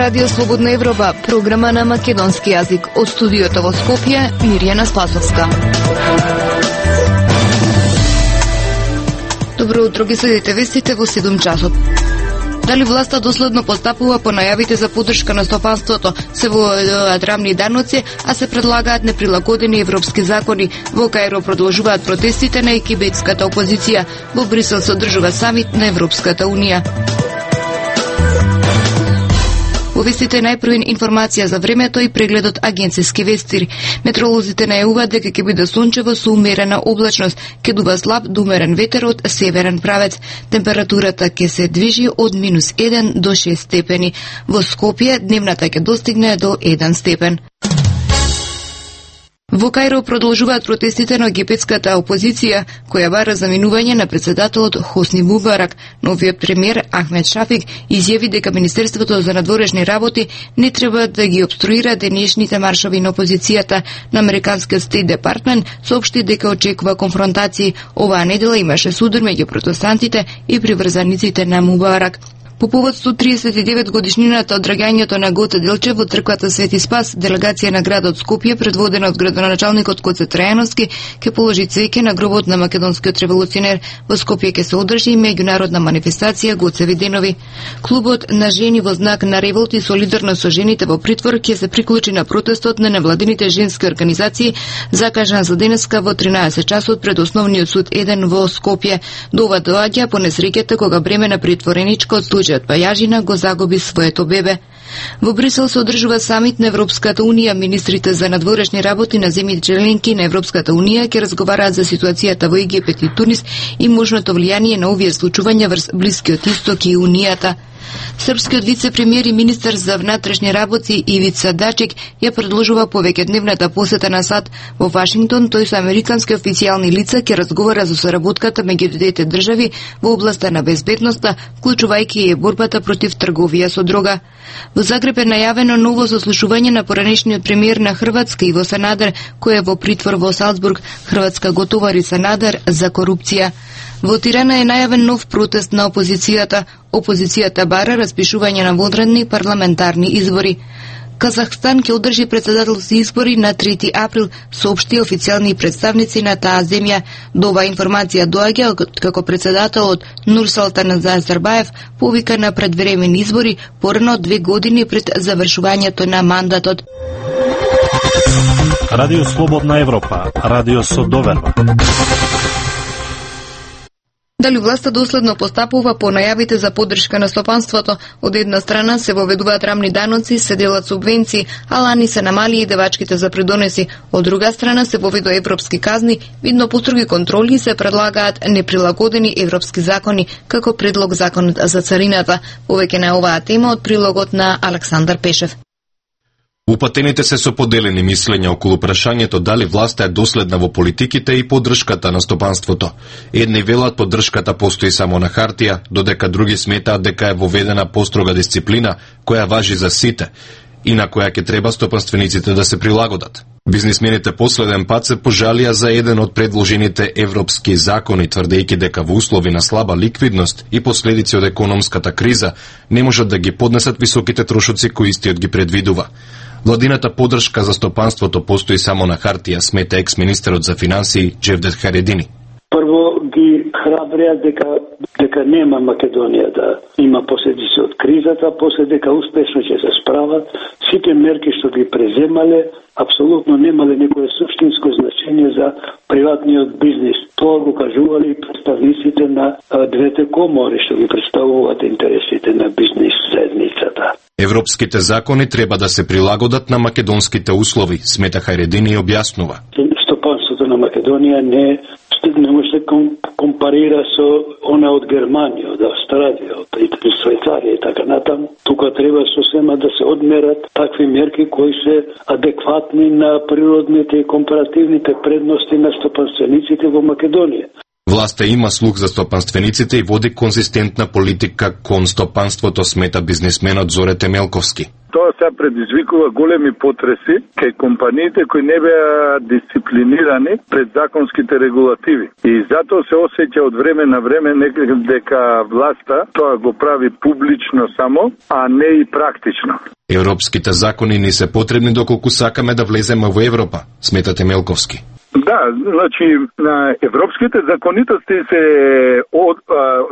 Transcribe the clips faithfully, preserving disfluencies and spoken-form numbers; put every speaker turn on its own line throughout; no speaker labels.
Радио Слободна Европа, програма на македонски јазик. Од студиото во Скопје, Мирјана Спасовска. Добро утро, ги следите вестите во седум часот. Дали власта доследно постапува по најавите за поддршка на стопанството, се воведуваат рамни даноци, а се предлагаат неприлагодени европски закони. Во Кајро продолжуваат протестите на египетската опозиција. Во Брисел се одржува самит на Европската унија. Во вестите најпрвен информација за времето и прегледот агенцијски вести. Метеоролозите најавуваат дека ќе биде сончево со умерена облачност, ќе дува слаб до умерен ветер од северен правец. Температурата ќе се движи од минус еден до шест степени. Во Скопје дневната ќе достигне до еден степен. Во Кајро продолжуваат протестите на египетската опозиција, која бара заминување на председателот Хосни Мубарак. Новиот премиер Ахмед Шафик изјави дека Министерството за надворешни работи не треба да ги обструира денешните маршови на опозицијата. На американскиот Стейт Департмент соопшти дека очекува конфронтации. Оваа недела имаше судар меѓу протестантите и приврзаниците на Мубарак. По повод сто триесет и девет годишнината од драгањето на Гоце Делчев во црквата Свети Спас, делегација на градот Скопје, предводена од градоначалникот Гоце Трајановски, ќе положи цвеќе на гробот на македонскиот револуционер. Во Скопје ќе се одржи и меѓународна манифестација Гоцеви денови. Клубот на жени во знак на револт и солидарно со жените во притвор ќе се приклучи на протестот на невладините женски организации, закажан за денеска во тринаесет часот пред Основниот суд еден во Скопје. До ова доаѓа по несреќата кога бреме на притвореничка од случај од Пајажина го загуби своето бебе. Во Брисел се одржува самит на Европската унија. Министрите за надворешни работи на земјите членки на Европската унија ќе разговараат за ситуацијата во Египет и Тунис и можното влијание на овие случувања врз Блискиот Исток и Унијата. Српскиот вице-премиер и министер за внатрешни работи Ивица Дачик ја предложува повеќе дневната посета на САД во Вашингтон. Тој со американски официјални лица ќе разговара за соработката меѓу двете држави во областа на безбедноста, вклучувајќи и борбата против трговија со дрога. Во Загреб е најавено ново заслушување на поранешниот премиер на Хрватска Иво Санадер, кој е во притвор во Салцбург. Хрватска го товари Санадер за корупција. Во Тирана е најавен нов протест на опозицијата. Опозицијата бара распишување на вонредни парламентарни избори. Казахстан ќе одржи председателски избори на трети април, соопшти официјални представници на таа земја. До оваа информација доаѓа како председателот Нурсултан Назарбаев повика на предвремени избори порано две години пред завршувањето на мандатот.
Радио Слободна Европа, радио со доверба.
Дали власта доследно постапува по најавите за поддршка на стопанството? Од една страна се воведуваат рамни даноци, се делат субвенции, а лани се намали и девачките за придонеси. Од друга страна се воведува европски казни, видно построги контроли се предлагаат неприлагодени европски закони, како предлог законот за царината. Повеќе на оваа тема од прилогот на Александар Пешев.
Упатените се со поделени мислења околу прашањето дали власта е доследна во политиките и поддршката на стопанството. Едни велат поддршката постои само на хартија, додека други сметаат дека е воведена построга дисциплина која важи за сите и на која ќе треба стопанствениците да се прилагодат. Бизнисмените последен пат се пожалија за еден од предложените европски закони, тврдејќи дека во услови на слаба ликвидност и последици од економската криза не можат да ги поднесат високите трошоци кои истиот ги предвидува. Владината поддршка за стопанството постои само на хартија, смета екс-министерот за финансии Джевдет Харедини.
Прво ги храбреа дека дека нема Македонија да има последици од кризата, после дека успешно ќе се справат. Сите мерки што ги преземале апсолутно немале некое суштинско значење за приватниот бизнис. Тоа го кажували представниците на двете комори што ги представуваат интересите на бизнис заедницата.
Европските закони треба да се прилагодат на македонските услови, смета Харедини и објаснува.
Стопанството на Македонија не не може да компарира со она од Германија, од Австралија, од Швајцарија и така натаму. Тука треба сосема да се одмерат такви мерки кои се адекватни на природните и компаративните предности на стопанствениците во Македонија.
Власта има слух за стопанствениците и води конзистентна политика кон стопанството, смета бизнисменот Зоре Темелковски.
Тоа се предизвикува големи потреси кај компаниите кои не беа дисциплинирани пред законските регулативи. И затоа се осеќа од време на време некако дека власта тоа го прави публично само, а не и практично.
Европските закони ни се потребни доколку сакаме да влеземе во Европа, сметате Мелковски.
Да, значи на европските законитости се од,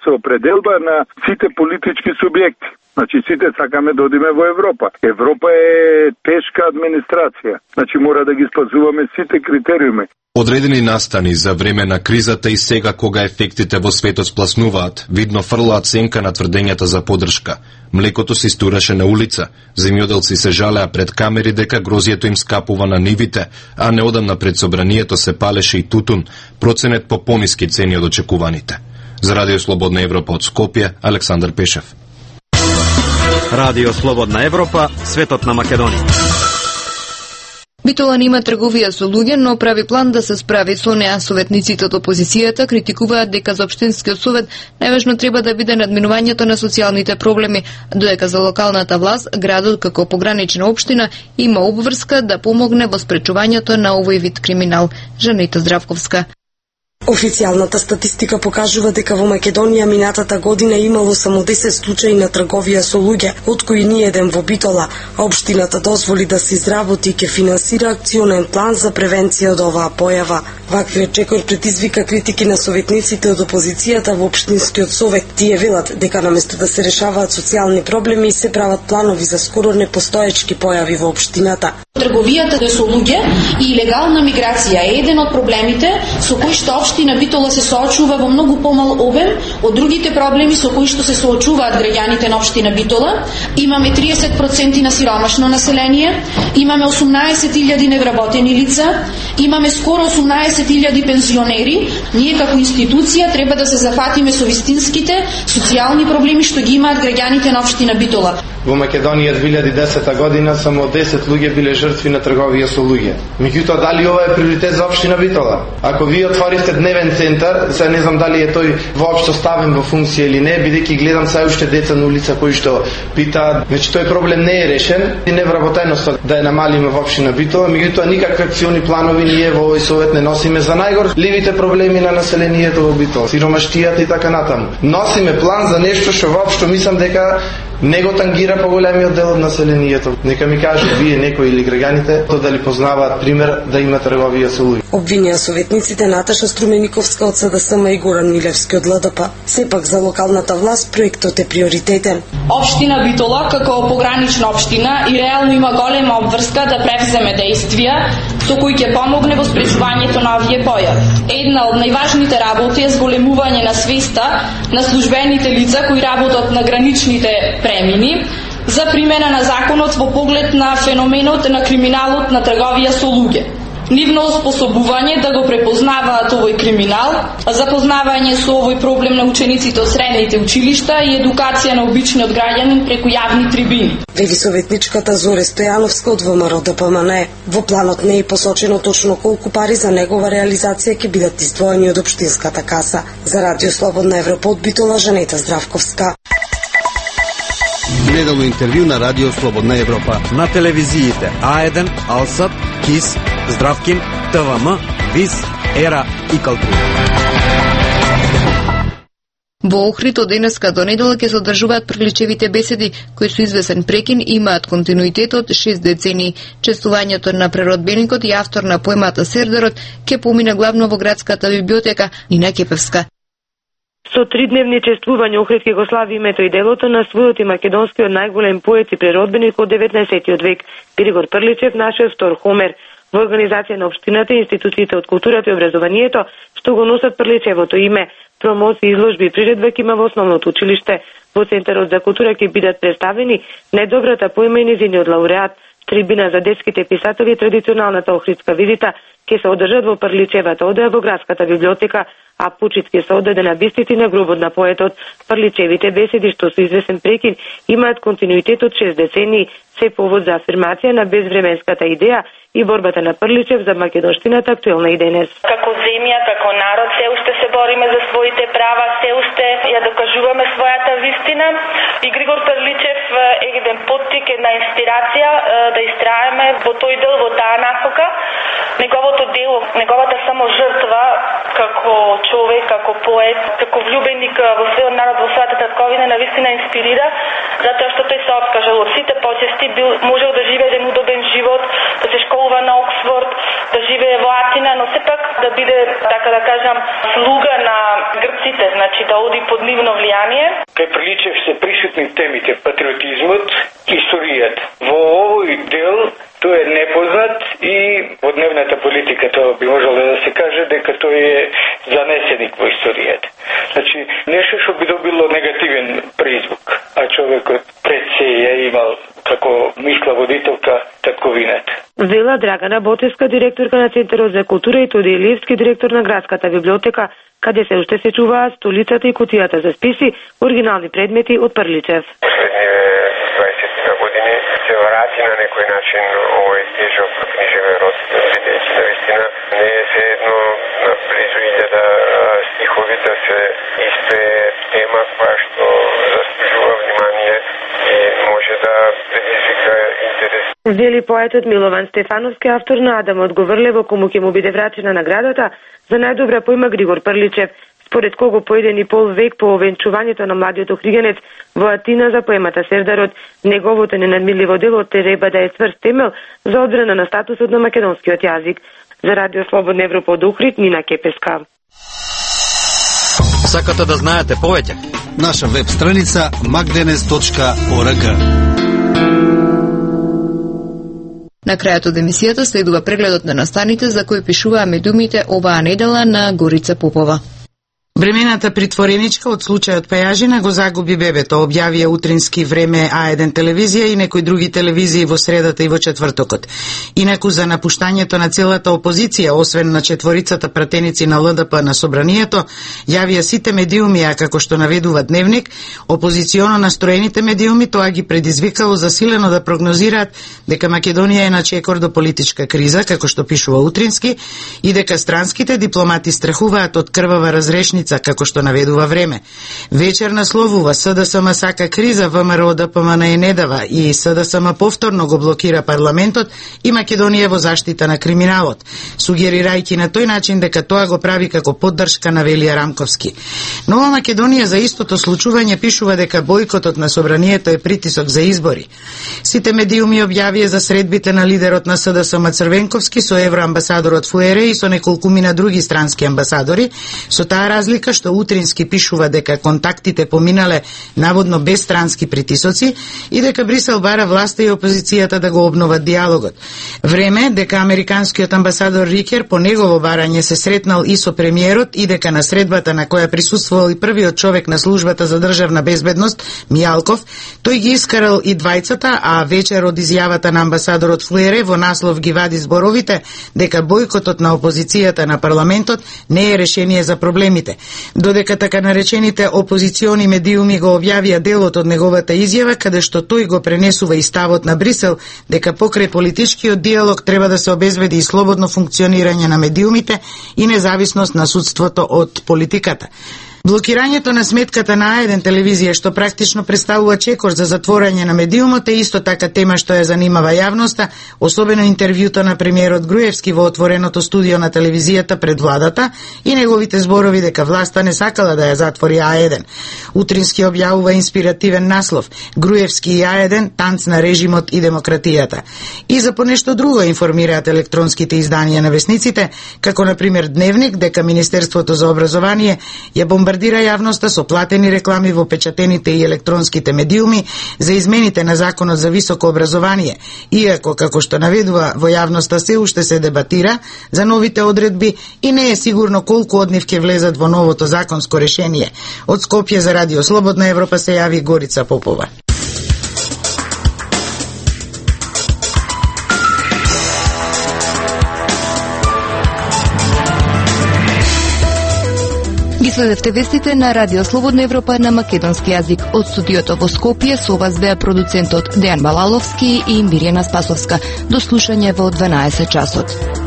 се определба на сите политички субјекти. Значи сите сакаме да одиме во Европа. Европа е тешка администрација. Значи мора да ги спазуваме сите критериуми.
Одредени настани за време на кризата и сега кога ефектите во светот спласнуваат, видно фрлаат сенка на тврдењата за поддршка. Млекото се истураше на улица, земјоделци се жалеа пред камери дека грозието им скапува на нивите, а неодамна пред собранието се палеше и тутун, проценет по пониски цени од очекуваните. За Радио Слободна Европа од Скопје, Александар Пешев.
Радио Слободна Европа, светот на Македонија.
Битола нема трговија со луѓе, но прави план да се справи со неа. Советниците од опозицијата критикуваат дека за општинскиот совет најважно треба да биде надминувањето на социјалните проблеми, додека за локалната власт градот како погранична општина има обврска да помогне во спречувањето на овој вид криминал. Жанета Здравковска.
Официјалната статистика покажува дека во Македонија минатата година имало само десет случаи на трговија со луѓе, од кои ни еден во Битола. Општината дозволи да се изработи и ќе финансира акционен план за превенција од оваа појава. Ваквиот чекор предизвика критики на советниците од опозицијата во општинскиот совет. Тие велат дека наместо да се решаваат социјални проблеми се прават планови за скоро непостоечки појави во општината.
Трговијата со луѓе и илегална миграција е еден од проблемите со кои што општина Битола се соочува во многу помал обем од другите проблеми со кои што се соочуваат граѓаните на општина Битола. Имаме триесет проценти на сиромашно население, имаме осумнаесет илјади невработени лица, имаме скоро осумнаесет илјади пензионери. Ние како институција треба да се зафатиме со вистинските социјални проблеми што ги имаат граѓаните на општина Битола.
Во Македонија две илјади и десета година само десет луѓе биле жртви на трговија со луѓе. Меѓутоа, дали ова е приоритет за општина Битола? Ако вие отворите дневен центар, сега не знам дали е тој воопшто ставен во функција или не, бидејќи гледам се уште деца на улица кои што питаат, значи тој проблем не е решен и невработеноста да ја намалиме во општина Битола, меѓутоа никакви акциони планови ние во овој совет не носиме за најгорливите проблеми на населението во Битола, сиромаштијата и така натаму. Носиме план за нешто што воопшто мислам дека не го тангира поголемиот дел од населението. Нека ми кажат вие некои или граѓаните то дали познаваат пример да има трговија со луѓе.
Обвинија советниците Наташа Струмениковска од СДСМ и Горан Милевски од ЛДП. Сепак за локалната власт проектот е приоритетен.
Општина Битола како погранична општина и реално има голема обврска да превземе действија со кои ќе помогне во спречувањето на овие појави. Една од најважните работи е зголемување на свеста на службените лица кои работат на граничните премини за примена на законот во поглед на феноменот на криминалот на трговија со луѓе. Нивно способување да го препознаваат овој криминал, запознавање со овој проблем на учениците од средните училишта и едукација на обичниот граѓанин преку јавни трибини.
Вели советничката Зоре Стојановска од ВМРО Д П М Н. Во планот не е посочено точно колку пари за негова реализација ќе бидат издвоени од општинската каса. За Радио Слободна Европа од Битола, Жанета Здравковска.
Неделно интервју на Радио Слободна Европа.
На телевизиите А еден, Алсат, КИС, Здравкин, Т В М, ВИС, Ера и Калтри.
Во Охрид од денеска до недела ќе се одржуваат приличевите беседи, кои со извесен прекин имаат континуитет од шест децении. Чествувањето на преродбеникот и автор на поемата Сердарот ќе помине главно во градската библиотека Нина Кепевска.
Со тридневни чествувања Охрид ќе го слави името и делото на својот и македонскиот најголем поет и преродбеник од деветнаесеттиот век, Григор Прличев, нашиот втор Хомер. Во организација на општината и институциите од културата и образованието, што го носат Прличевото име, промоции, изложби и приредба ќе има во основното училиште. Во Центарот за култура ќе бидат представени најдобрата поема и незиниот лауреат, трибина за детските писатели и традиционалната охридска визита ќе се одржат во Прличевата одеја во градската библиотека, а пучит ќе се одаде на бистите на гробот на поетот. Прличевите беседи, што со извесен прекин, имаат континуитет од шест децении, се повод за афирмација на безвременската идеја и борбата на Прличев за македонштината актуелна и денес.
Како земја, како народ, се уште се бориме за своите права, се уште ја докажуваме својата вистина. општина и Григор Прличев е еден поттик, една инспирација да истраеме во тој дел, во таа насока. Неговото дело, неговата само жртва како човек, како поет, како влюбеник во својот народ, во својата татковина, навистина инспирира, затоа што тој се откажал од сите почести, бил можел да живее еден удобен живот, да се школува на Оксфорд, да живее во Атина, но сепак да биде, така да кажам, слуга на грците, значи да оди под нивно влијание.
Кај Приличев се присутни темите патриотизмот и историјата. Во овој дел тој е непознат и во дневната политика тоа би можело да се каже дека тој е занесеник во историјата. Значи, нешто што би добило негативен призвук, а човекот пред се ја имал како мисла водителка татковината.
Вела Драгана Ботевска, директорка на Центарот за култура, и Тоди Илиевски, директор на Градската библиотека, каде се уште се чуваат столицата и кутијата за списи, оригинални предмети од Прличев.
дваесет години се врати на некој начин овој тежок книжевен род, бидејќи навистина не е се едно близу илјада стихови да се испее тема која што заслужува внимание и може да предизвика интерес.
Вели поетот Милован Стефановски, автор на Адам Одговрлево, кому ќе му биде врачена наградата за најдобра поема Григор Прличев, според кого по еден и пол век по овенчувањето на младиот охригенец во Атина за поемата Сердарот, неговото ненадмирливо дело треба да е цврст темел за одбрана на статусот на македонскиот јазик. За Радио Слободна Европа од Охрид, Нина Кепеска.
Сакате да знаете повеќе? Наша веб страница magdenes точка org.
На крајот од емисијата следува прегледот на настаните за кои пишуваа медиумите оваа недела на Горица Попова.
Бремената притвореничка од случајот Пејажина го загуби бебето, објавија утрински Време А еден телевизија и некои други телевизии во средата и во четвртокот. Инаку за напуштањето на целата опозиција, освен на четворицата пратеници на Л Д П на собранието, јавија сите медиуми, а како што наведува Дневник, опозиционо настроените медиуми тоа ги предизвикало засилено да прогнозираат дека Македонија е на чекор до политичка криза, како што пишува утрински, и дека странските дипломати страхуваат од крвава разрешница, како што наведува Време. Вечер насловува С Д С М сака криза, В М Р Д П М Н е не дава и С Д С М повторно го блокира парламентот и Македонија во заштита на криминалот, сугерирајќи на тој начин дека тоа го прави како поддршка на Велија Рамковски. Нова Македонија за истото случување пишува дека бојкотот на собранието е притисок за избори. Сите медиуми објавија за средбите на лидерот на С Д С М Црвенковски со евроамбасадорот Фуере и со неколкумина други странски амбасадори, со таа разлика што утрински пишува дека контактите поминале наводно без странски притисоци и дека Брисел бара власта и опозицијата да го обноват диалогот. Време дека американскиот амбасадор Рикер по негово барање се сретнал и со премиерот и дека на средбата на која присуствувал и првиот човек на службата за државна безбедност, Мијалков, тој ги искарал и двајцата, а вечер од изјавата на амбасадорот Фуере во наслов ги вади зборовите дека бојкотот на опозицијата на парламентот не е решение за проблемите. Додека така наречените опозициони медиуми го објавија делот од неговата изјава, каде што тој го пренесува и ставот на Брисел дека покрај политичкиот диалог треба да се обезбеди и слободно функционирање на медиумите и независност на судството од политиката. Блокирањето на сметката на А еден телевизија, што практично представува чекор за затворање на медиумот, е исто така тема што ја занимава јавноста, особено интервјуто на премиерот Груевски во отвореното студио на телевизијата пред владата и неговите зборови дека власта не сакала да ја затвори А еден. Утрински објавува инспиративен наслов Груевски и А еден, танц на режимот и демократијата. И за понешто друго информираат електронските изданија на весниците, како на пример Дневник, дека Министерството за образование ја бомбардира јавноста со платени реклами во печатените и електронските медиуми за измените на Законот за високо образование, иако, како што наведува, во јавноста се уште се дебатира за новите одредби и не е сигурно колку од нив ќе влезат во новото законско решение. Од Скопје за Радио Слободна Европа се јави Горица Попова.
Ги следевте вестите на Радио Слободна Европа на македонски јазик. Од студиото во Скопје со вас беа продуцентот Дејан Балаловски и Мирјана Спасовска. До слушање во дванаесет часот.